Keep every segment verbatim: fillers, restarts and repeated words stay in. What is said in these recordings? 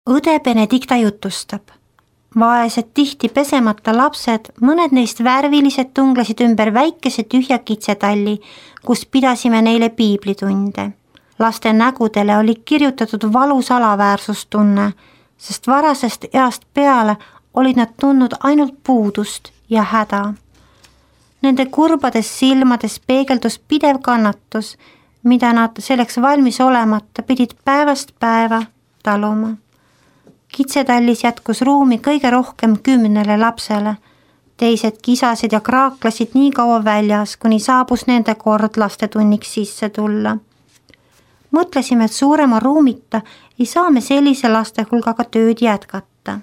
Õde Benedikta jutustab. Vaesed tihti pesemata lapsed, mõned neist värvilised tunglesid ümber väikese tühja kitsetalli, kus pidasime neile piiblitunde. Laste nägudele oli kirjutatud valus alaväärsustunne, sest varasest east peale olid nad tundnud ainult puudust ja häda. Nende kurbades silmades peegeldus pidev kannatus, mida nad selleks valmis olemata pidid päevast päeva taluma. Kitsetallis jätkus ruumi kõige rohkem kümnele lapsele. Teised kisasid ja kraaklasid nii kaua väljas, kuni saabus nende kord lastetunniks sisse tulla. Mõtlesime, et suurema ruumita ei saa me sellise laste hulgaga tööd jätkata.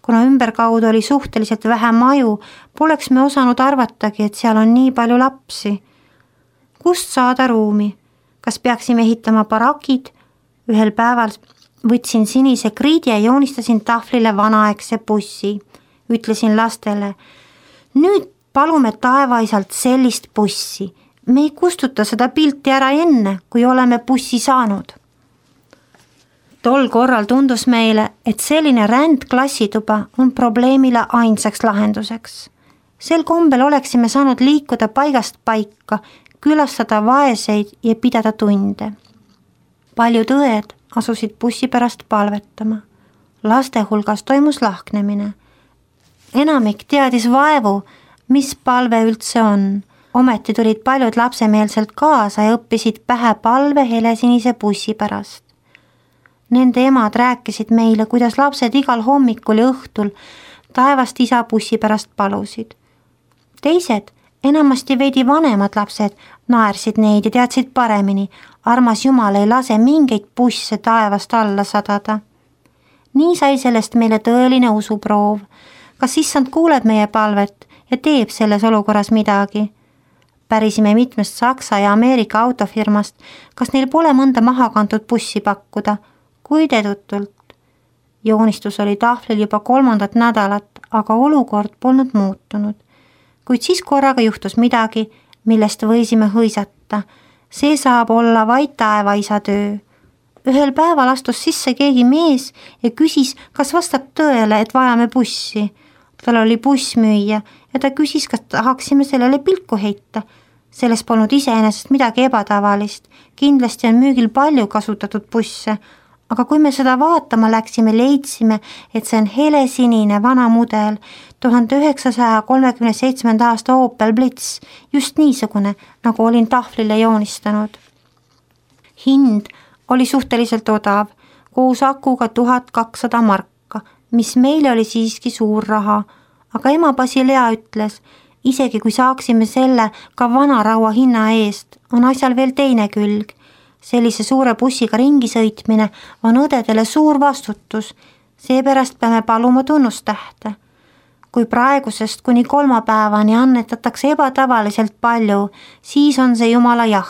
Kuna ümberkaudu oli suhteliselt vähe maju, poleks me osanud arvatagi, et seal on nii palju lapsi. Kust saada ruumi? Kas peaksime ehitama barakid? Ühel päeval võtsin sinise kriidi ja joonistasin tahvlile vanaaegse bussi. Ütlesin lastele, nüüd palume taevaisalt sellist bussi. Me ei kustuta seda pilti ära enne, kui oleme bussi saanud. Tol korral tundus meile, et selline rändklassituba on probleemile ainsaks lahenduseks. Sel kombel oleksime saanud liikuda paigast paika, külastada vaeseid ja pidada tunde. Paljud õed asusid bussi pärast palvetama. Laste hulgas toimus lahknemine. Enamik teadis vaevu, mis palve üldse on. Ometi tulid paljud lapsemeelselt kaasa ja õppisid pähe palve helesinise bussi pärast. Nende emad rääkisid meile, kuidas lapsed igal hommikul ja õhtul taevast isa bussi pärast palusid. Teised, enamasti veidi vanemad lapsed, naersid neid ja teadsid paremini. Armas Jumal ei lase mingeid busse taevast alla sadada. Nii sai sellest meile tõeline usuproov. Kas issand kuuleb meie palvet ja teeb selles olukorras midagi? Pärisime mitmest Saksa ja Ameerika autofirmast, kas neil pole mõnda maha kantud bussi pakkuda, kuid edutult. Joonistus oli tahvlil juba kolmandat nädalat, aga olukord polnud muutunud. Kuid siis korraga juhtus midagi, millest võisime hõisata. See saab olla vaid taevaisa töö. Ühel päeval astus sisse keegi mees ja küsis, kas vastab tõele, et vajame bussi. Tal oli bussmüüja ja ta küsis, kas tahaksime sellele pilku heita. Selles polnud iseenesest midagi ebatavalist. Kindlasti on müügil palju kasutatud busse, aga kui me seda vaatama läksime, leidsime, et see on helesinine vana mudel, tuhande üheksasaja kolmekümne seitsmenda aasta Opel Blitz, just niisugune, nagu olin tahvlile joonistanud. Hind oli suhteliselt odav, koos akuga tuhat kakssada marka, mis meile oli siiski suur raha, aga ema Basilea ütles, isegi kui saaksime selle ka vanaraua hinna eest, on asjal veel teine külg. Sellise suure bussiga ringi sõitmine on õdedele suur vastutus, seepärast peame paluma tunnustähte. Kui praegusest kuni kolmapäevani annetatakse ebatavaliselt palju, siis on see Jumala jah.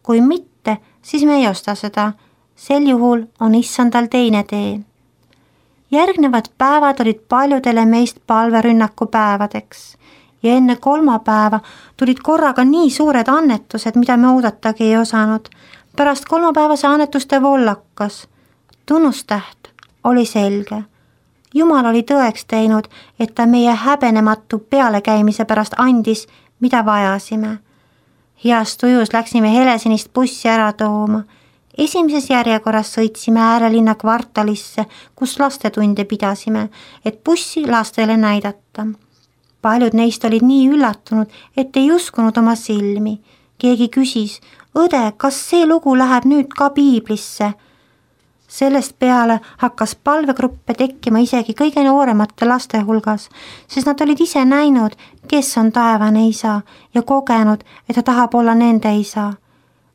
Kui mitte, siis me ei osta seda. Sel juhul on issandal teine tee. Järgnevad päevad olid paljudele meist palverünnaku päevadeks ja enne kolmapäeva tulid korraga nii suured annetused, mida me oodatagi ei osanud. Pärast kolmapäevase annetuste vollakas. Tunnustäht oli selge. Jumal oli tõeks teinud, et ta meie häbenematu pealekäimise pärast andis, mida vajasime. Heast tujus läksime helesinist bussi ära tooma. Esimeses järjekorras sõitsime äärelinna kvartalisse, kus lastetunde pidasime, et bussi lastele näidata. Paljud neist olid nii üllatunud, et ei uskunud oma silmi. Keegi küsis, õde, kas see lugu läheb nüüd ka piiblisse? Sellest peale hakkas palvegruppe tekkima isegi kõige nooremate laste hulgas, sest nad olid ise näinud, kes on taevane isa ja kogenud, et ta tahab olla nende isa.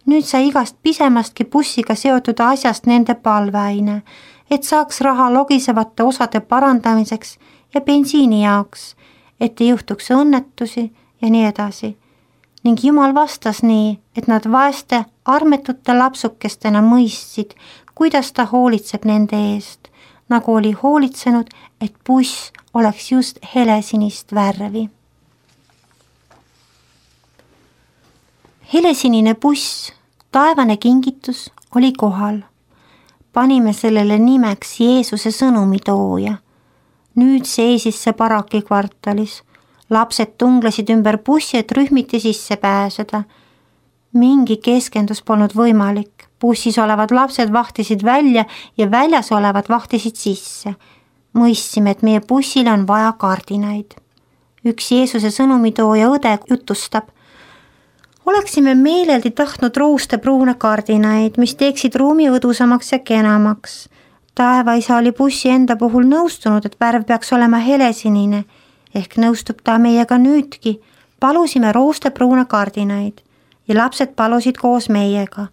Nüüd sai igast pisemastki bussiga seotud asjast nende palveaine, et saaks raha logisevate osade parandamiseks ja bensiini jaoks, et ei juhtuks õnnetusi ja nii edasi. Ning Jumal vastas nii, et nad vaeste armetute lapsukestena mõistsid, kuidas ta hoolitseb nende eest, nagu oli hoolitsenud, et buss oleks just helesinist värvi. Helesinine buss, taevane kingitus, oli kohal. panime sellele nimeks Jeesuse sõnumitooja. Nüüd seisis see baraki kvartalis. Lapsed tunglesid ümber bussi, et rühmiti sisse pääseda. Mingi keskendus polnud võimalik. Bussis olevad lapsed vahtisid välja ja väljas olevad vahtisid sisse. Mõistsime, et meie bussile on vaja kardinaid. Üks Jeesuse sõnumitooja õde jutustab. Oleksime meeleldi tahtnud roostepruune kardinaid, mis teeksid ruumi õdusamaks ja kenamaks. Taevaisa oli bussi enda puhul nõustunud, et värv peaks olema helesinine, ehk nõustub ta meiega nüüdki. Palusime roostepruune kardinaid ja lapsed palusid koos meiega.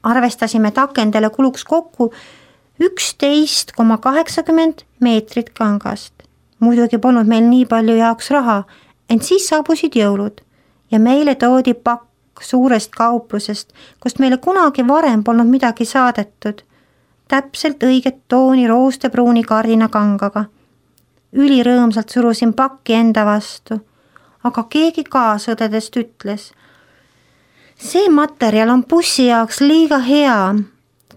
Arvestasime, et akendele kuluks kokku üksteist koma kaheksakümmend meetrit kangast. Muidugi polnud meil nii palju jaoks raha, ent siis saabusid jõulud ja meile toodi pakk suurest kauplusest, kust meile kunagi varem polnud midagi saadetud. Täpselt õiget tooni roostepruuni kardina kangaga. Ülirõõmsalt surusin pakki enda vastu, aga keegi kaasõdedest ütles. See materjal on bussi jaoks liiga hea.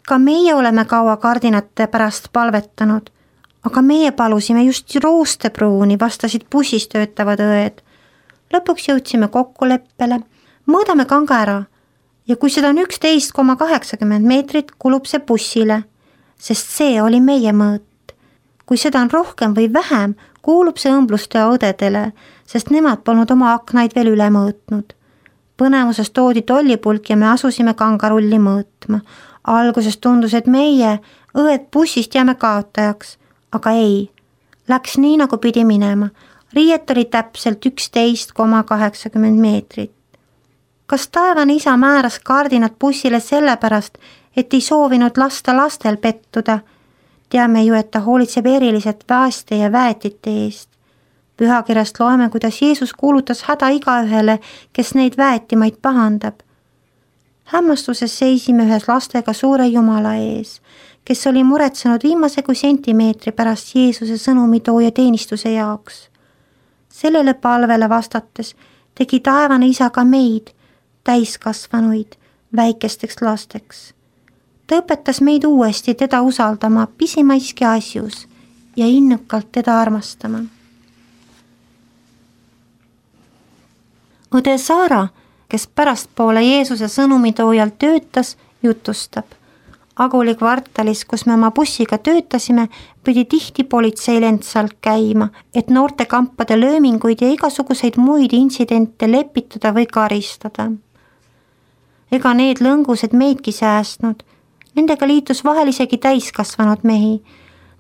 Ka meie oleme kaua kardinate pärast palvetanud, aga meie palusime just roostepruuni, vastasid bussis töötavad õed. Lõpuks jõudsime kokkuleppele, mõõdame kanga ära ja kui seda on üksteist koma kaheksakümmend meetrit, kulub see bussile, sest see oli meie mõõt. Kui seda on rohkem või vähem, kuulub see õmblustöö õdedele, sest nemad polnud oma aknaid veel üle mõõtnud. Põnevuses toodi tollipulk ja me asusime kangarulli mõõtma. Alguses tundus, et meie, õed bussist jääme kaotajaks, aga ei, läks nii nagu pidi minema. Riiet oli täpselt üksteist koma kaheksakümmend meetrit. Kas taevane isa määras kardinad bussile sellepärast, et ei soovinud lasta lastel pettuda? Teame ju, et ta hoolitseb eriliselt vaeste ja väetite eest. Pühakirjast loeme, kuidas Jeesus kuulutas häda igaühele, kes neid väetimaid pahandab. Hämmastuses seisime ühes lastega suure Jumala ees, kes oli muretsenud viimase kui sentimeetri pärast Jeesuse sõnumitooja teenistuse jaoks. Sellele palvele vastates tegi taevane isa ka meid, täiskasvanuid, väikesteks lasteks. Ta õpetas meid uuesti teda usaldama pisimaiski asjus ja innukalt teda armastama. Õde Saara, kes pärastpoole Jeesuse sõnumitoojal töötas, jutustab. Aguli kvartalis, kus me oma bussiga töötasime, pidi tihti politsei lendsalt käima, et noorte kampade lööminguid ja igasuguseid muid intsidente lepitada või karistada. Ega need lõngused meidki säästnud. Nendega liitus vahel isegi täiskasvanud mehi.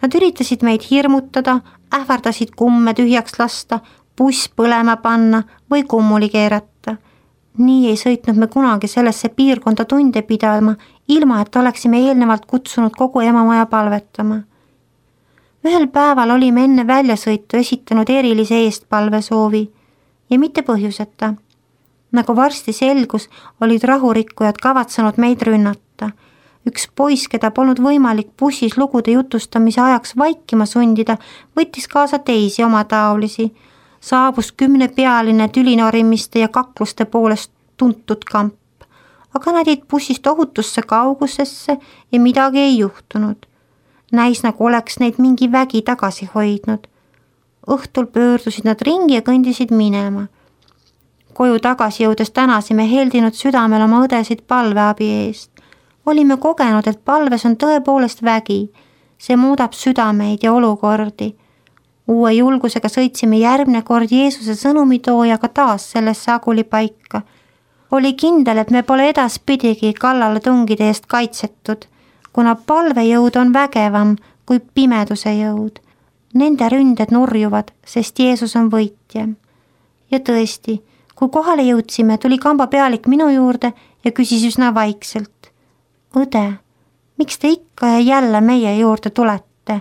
Nad üritasid meid hirmutada, ähvardasid kumme tühjaks lasta, buss põlema panna või kummuli keerata. Nii ei sõitnud me kunagi sellesse piirkonda tunde pidama, ilma et oleksime eelnevalt kutsunud kogu emamaja palvetama. Ühel päeval olime enne väljasõitu esitanud erilise eestpalvesoovi ja mitte põhjuseta. Nagu varsti selgus, olid rahurikkujad kavatsenud meid rünnata. Üks poiss, keda polnud võimalik bussis lugude jutustamise ajaks vaikima sundida, võttis kaasa teisi oma taolisi. Saabus kümnepealine tülinorimiste ja kakluste poolest tuntud kamp, aga nad jäid bussist ohutusse kaugusesse ja midagi ei juhtunud. Näis nagu oleks neid mingi vägi tagasi hoidnud. Õhtul pöördusid nad ringi ja kõndisid minema. Koju tagasi jõudes tänasime heldinud südamel oma õdesid palveabi eest. Olime kogenud, et palves on tõepoolest vägi. See muudab südameid ja olukordi. Uue julgusega sõitsime järgmine kord Jeesuse sõnumitoojaga taas sellesse Aguli paika. Oli kindel, et me pole edaspidigi kallale tungide eest kaitsetud, kuna palvejõud on vägevam kui pimeduse jõud. Nende ründed nurjuvad, sest Jeesus on võitja. Ja tõesti, kui kohale jõudsime, tuli kamba pealik minu juurde ja küsis üsna vaikselt. Õde, miks te ikka ja jälle meie juurde tulete?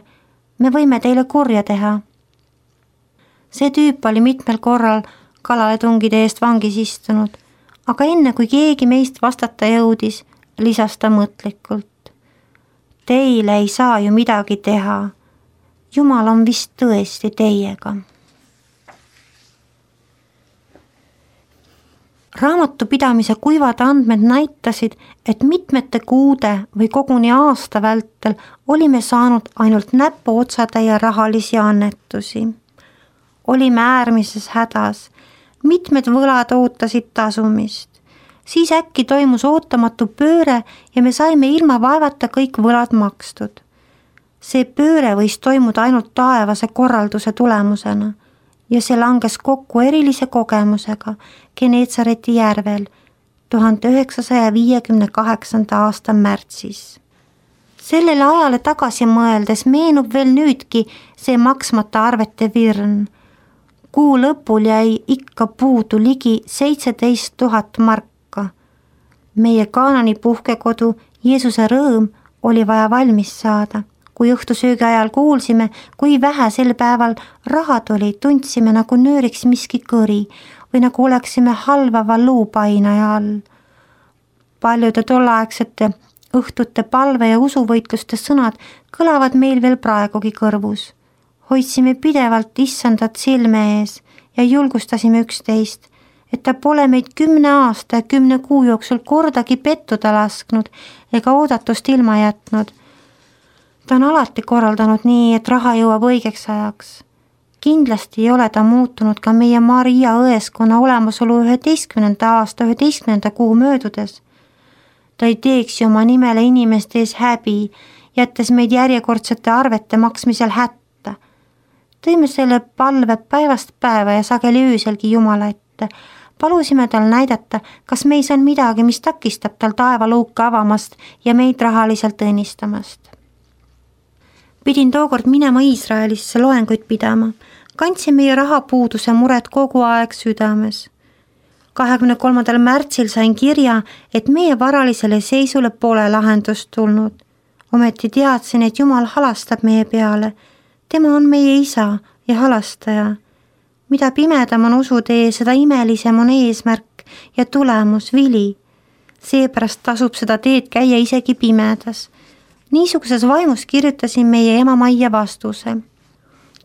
Me võime teile kurja teha. See tüüp oli mitmel korral kalaletungide eest vangis istunud, aga enne kui keegi meist vastata jõudis, lisas ta mõtlikult. Teile ei saa ju midagi teha. Jumal on vist tõesti teiega. raamatupidamise kuivad andmed näitasid, et mitmete kuude või koguni aasta vältel olime saanud ainult näpuotsatäie rahalisi annetusi. Olime äärmises hädas, mitmed võlad ootasid tasumist. Siis äkki toimus ootamatu pööre ja me saime ilma vaevata kõik võlad makstud. See pööre võis toimuda ainult taevase korralduse tulemusena ja see langes kokku erilise kogemusega Geneetsareti järvel tuhande üheksasaja viiekümne kaheksanda aasta märtsis. Sellele ajale tagasi mõeldes meenub veel nüüdki see maksmata arvete virn. Kuu lõpul jäi ikka puudu ligi seitseteist tuhat marka. Meie Kaanani puhkekodu Jeesuse rõõm oli vaja valmis saada. Kui õhtusöögi ajal kuulsime, kui vähe sel päeval rahad oli, tundsime nagu nööriks miski kõri või nagu oleksime halvava luupainaja all. Paljude tolleaegsete õhtute palve ja usuvõitluste sõnad kõlavad meil veel praegugi kõrvus. Hoidsime pidevalt issandat silme ees ja julgustasime üksteist, et ta pole meid kümne aasta ja kümne kuu jooksul kordagi pettuda lasknud ega oodatust ilma jätnud. Ta on alati korraldanud nii, et raha jõuab õigeks ajaks. Kindlasti ei ole ta muutunud ka meie Maria õeskonna olemasolu üheteistkümnenda aasta üheteistkümnenda kuu möödudes. Ta ei teeks ju oma nimele inimeste ees häbi, jättes meid järjekordsete arvete maksmisel hätta. Tõime selle palve päevast päeva ja sageli ööselgi Jumala ette. Palusime tal näidata, kas meis on midagi, mis takistab tal taevaluuka avamast ja meid rahaliselt õnnistamast. Pidin tookord minema Iisraelisse loenguid pidama. Kandsin meie rahapuuduse mured kogu aeg südames. kahekümne kolmandal märtsil sain kirja, et meie varalisele seisule pole lahendust tulnud. Ometi teadsin, et Jumal halastab meie peale. Tema on meie isa ja halastaja. Mida pimedam on usutee, seda imelisem on eesmärk ja tulemus, vili. Seepärast tasub seda teed käia isegi pimedas. Niisuguses vaimus kirjutasin meie ema Maia vastuse.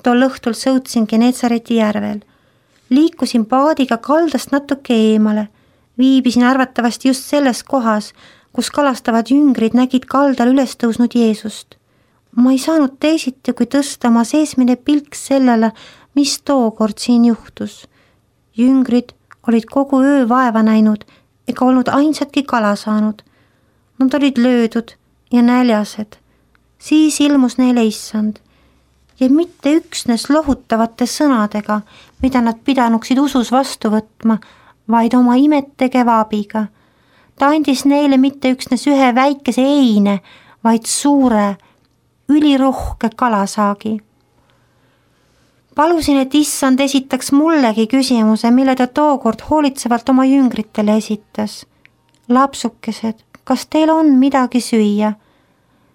Tol õhtul sõutsin Geneetsareti järvel. Liikusin paadiga kaldast natuke eemale. Viibisin arvatavasti just selles kohas, kus kalastavad jüngrid nägid kaldal üles tõusnud Jeesust. Ma ei saanud teisiti, kui tõsta oma seesmine pilk sellele, mis tookord siin juhtus. Jüngrid olid kogu öö vaeva näinud ega olnud ainsatki kala saanud. Nad olid löödud ja näljased. Siis ilmus neile issand ja mitte üksnes lohutavate sõnadega, mida nad pidanuksid usus vastu võtma, vaid oma imet tegeva abiga. Ta andis neile mitte üksnes ühe väikese eine, vaid suure, ülirohke kalasaagi. Palusin, et issand esitaks mullegi küsimuse, mille ta tookord hoolitsevalt oma jüngritele esitas. Lapsukesed, kas teil on midagi süüa?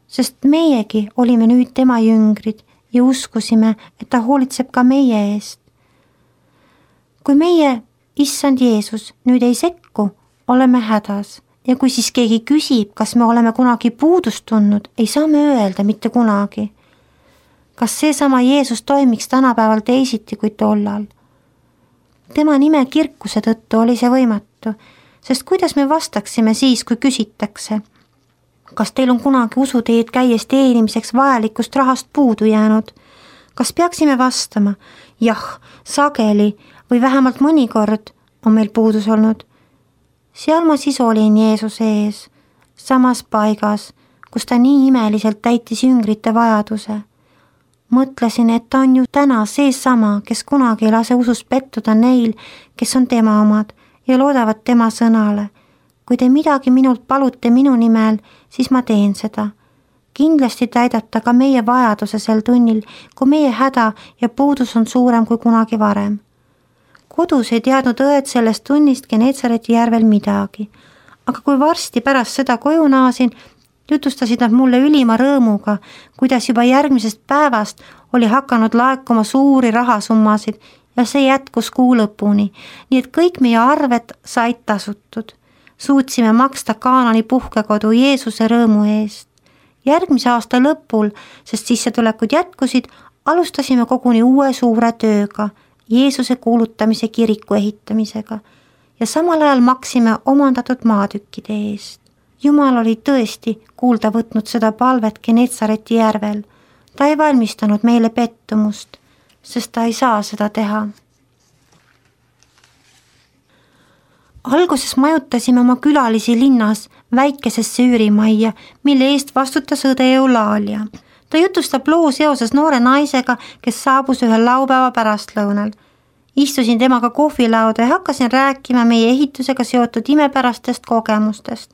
Sest meiegi olime nüüd tema jüngrid ja uskusime, et ta hoolitseb ka meie eest. Kui meie, issand Jeesus, nüüd ei sekku, oleme hädas ja kui siis keegi küsib, kas me oleme kunagi puudust tundnud, ei saa me öelda mitte kunagi. Kas seesama Jeesus toimiks tänapäeval teisiti kui tollal? Tema nime kirkuse tõttu oli see võimatu, sest kuidas me vastaksime siis, kui küsitakse? Kas teil on kunagi usuteed käies teenimiseks vajalikust rahast puudu jäänud? Kas peaksime vastama? Jah, sageli või vähemalt mõnikord on meil puudus olnud. Seal ma siis olin Jeesuse ees, samas paigas, kus ta nii imeliselt täitis jüngrite vajaduse. Mõtlesin, et ta on ju täna seesama, kes kunagi ei lase usus pettuda neil, kes on tema omad ja loodavad tema sõnale. Kui te midagi minult palute minu nimel, siis ma teen seda. Kindlasti täidab ta ka meie vajaduse sel tunnil, kui meie häda ja puudus on suurem kui kunagi varem. Kodus ei teadnud õed sellest tunnist Geneetsareti järvel midagi, aga kui varsti pärast seda koju naasin, jutustasid nad mulle ülima rõõmuga, kuidas juba järgmisest päevast oli hakanud laekuma suuri rahasummasid ja see jätkus kuu lõpuni, nii et kõik meie arved said tasutud. Suutsime maksta Kaanani puhkekodu Jeesuse rõõmu eest. Järgmise aasta lõpul, sest sissetulekud jätkusid, alustasime koguni uue suure tööga, Jeesuse kuulutamise kiriku ehitamisega ja samal ajal maksime omandatud maatükkide eest. Jumal oli tõesti kuulda võtnud seda palvet Genetsareti järvel. Ta ei valmistanud meile pettumust, sest ta ei saa seda teha. Alguses majutasime oma külalisi linnas väikesesse üürimajja, mille eest vastutas õde Eulaalia. Ta jutustab loo seoses noore naisega, kes saabus ühel laupäeva pärastlõunal. Istusin temaga kohvilauda ja hakkasin rääkima meie ehitusega seotud imepärastest kogemustest,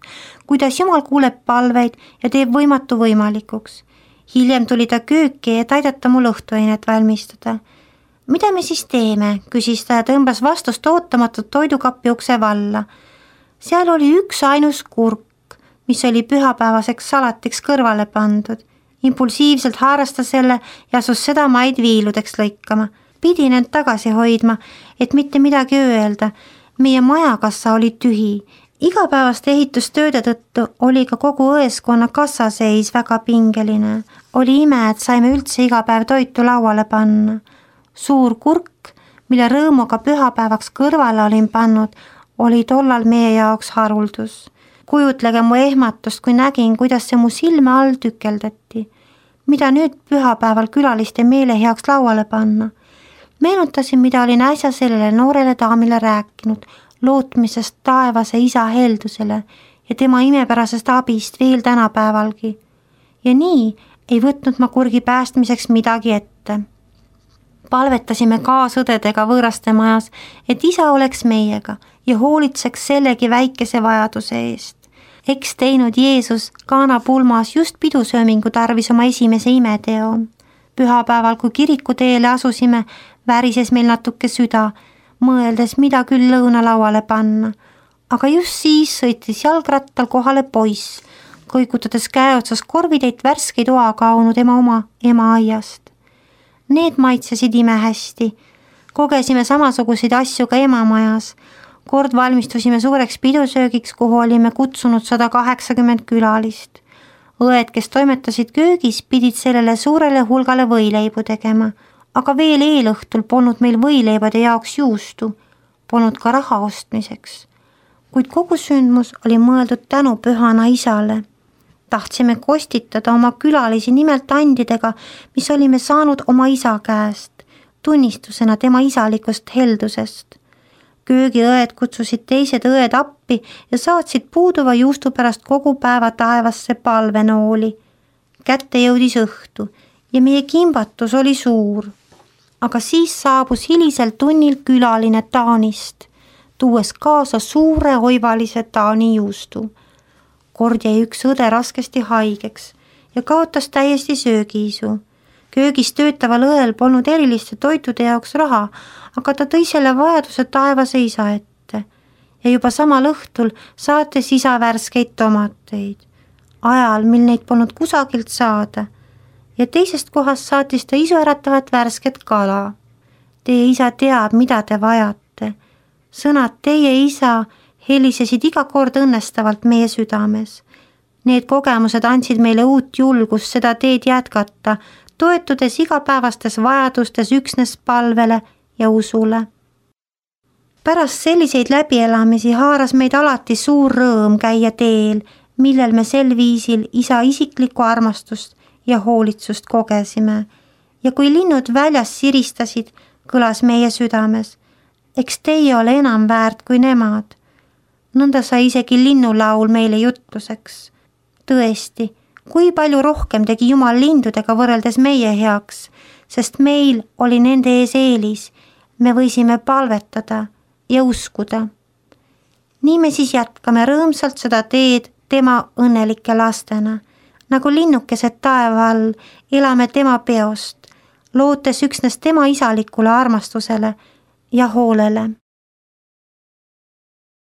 kuidas Jumal kuuleb palveid ja teeb võimatu võimalikuks. Hiljem tuli ta kööki, et aidata mul õhtuainet valmistada. Mida me siis teeme, küsis ta ja tõmbas vastust ootamatut toidukappi ukse valla. Seal oli üks ainus kurk, mis oli pühapäevaseks salatiks kõrvale pandud. Impulsiivselt haarasta selle ja asus seda maid viiludeks lõikama. Pidin end tagasi hoidma, et mitte midagi öelda. Meie majakassa oli tühi. Igapäevaste ehitustööde tõttu oli ka kogu õeskonna kassaseis väga pingeline. Oli ime, et saime üldse iga päev toitu lauale panna. Suur kurk, mille rõõmuga pühapäevaks kõrvale olin pannud, oli tollal meie jaoks haruldus. Kujutlege mu ehmatust, kui nägin, kuidas see mu silme all tükeldati. Mida nüüd pühapäeval külaliste meele heaks lauale panna? Meenutasin, mida olin äsja sellele noorele daamile rääkinud, lootmisest taevase isa heldusele ja tema imepärasest abist veel tänapäevalgi. Ja nii ei võtnud ma kurgi päästmiseks midagi ette. Palvetasime kaasõdedega võõraste majas, et isa oleks meiega ja hoolitseks sellegi väikese vajaduse eest. Eks teinud Jeesus Kaana pulmas just pidusöömingu tarvis oma esimese imeteo. Pühapäeval, kui kirikuteele asusime, värises meil natuke süda, mõeldes, mida küll lõunalauale panna. Aga just siis sõitis jalgrattal kohale poiss, kõikutades käe otsas korvideid värskeid oakaunud ema oma ema aiast. Need maitsesid ime hästi. Kogesime samasuguseid asju ka emamajas. Kord valmistusime suureks pidusöögiks, kuhu olime kutsunud sada kaheksakümmend külalist. Õed, kes toimetasid köögis, pidid sellele suurele hulgale võileibu tegema, aga veel eelõhtul polnud meil võileibade jaoks juustu, polnud ka raha ostmiseks. Kuid kogu sündmus oli mõeldud tänu pühana isale. Tahtsime kostitada oma külalisi nimelt andidega, mis olime saanud oma isa käest, tunnistusena tema isalikust heldusest. Köögiõed kutsusid teised õed appi ja saatsid puuduva juustu pärast kogu päeva taevasse palvenooli. Kätte jõudis õhtu ja meie kimbatus oli suur. Aga siis saabus hilisel tunnil külaline Taanist, tuues kaasa suure oivalise Taani juustu. Kord jäi üks õde raskesti haigeks ja kaotas täiesti söögiisu. Köögis töötaval õel polnud eriliste toitude jaoks raha, aga ta tõi selle vajaduse taevase isa ette ja juba samal õhtul saates isa värskeid tomateid, ajal, mil neid polnud kusagilt saada, ja teisest kohast saatis ta isuäratavat värsket kala. Teie isa teab, mida te vajate. Sõnad teie isa helisesid iga kord õnnestavalt meie südames. Need kogemused andsid meile uut julgust seda teed jätkata, toetudes igapäevastes vajadustes üksnes palvele ja usule. Pärast selliseid läbielamisi haaras meid alati suur rõõm käia teel, millel me sel viisil isa isiklikku armastust ja hoolitsust kogesime. Ja kui linnud väljas siristasid, kõlas meie südames, eks teie ole enam väärt kui nemad. Nõnda sai isegi linnulaul meile jutluseks. Tõesti, kui palju rohkem tegi Jumal lindudega võrreldes meie heaks, sest meil oli nende ees eelis, me võisime palvetada ja uskuda. Nii me siis jätkame rõõmsalt seda teed tema õnnelike lastena, nagu linnukesed taeva all elame tema peost, lootes üksnes tema isalikule armastusele ja hoolele.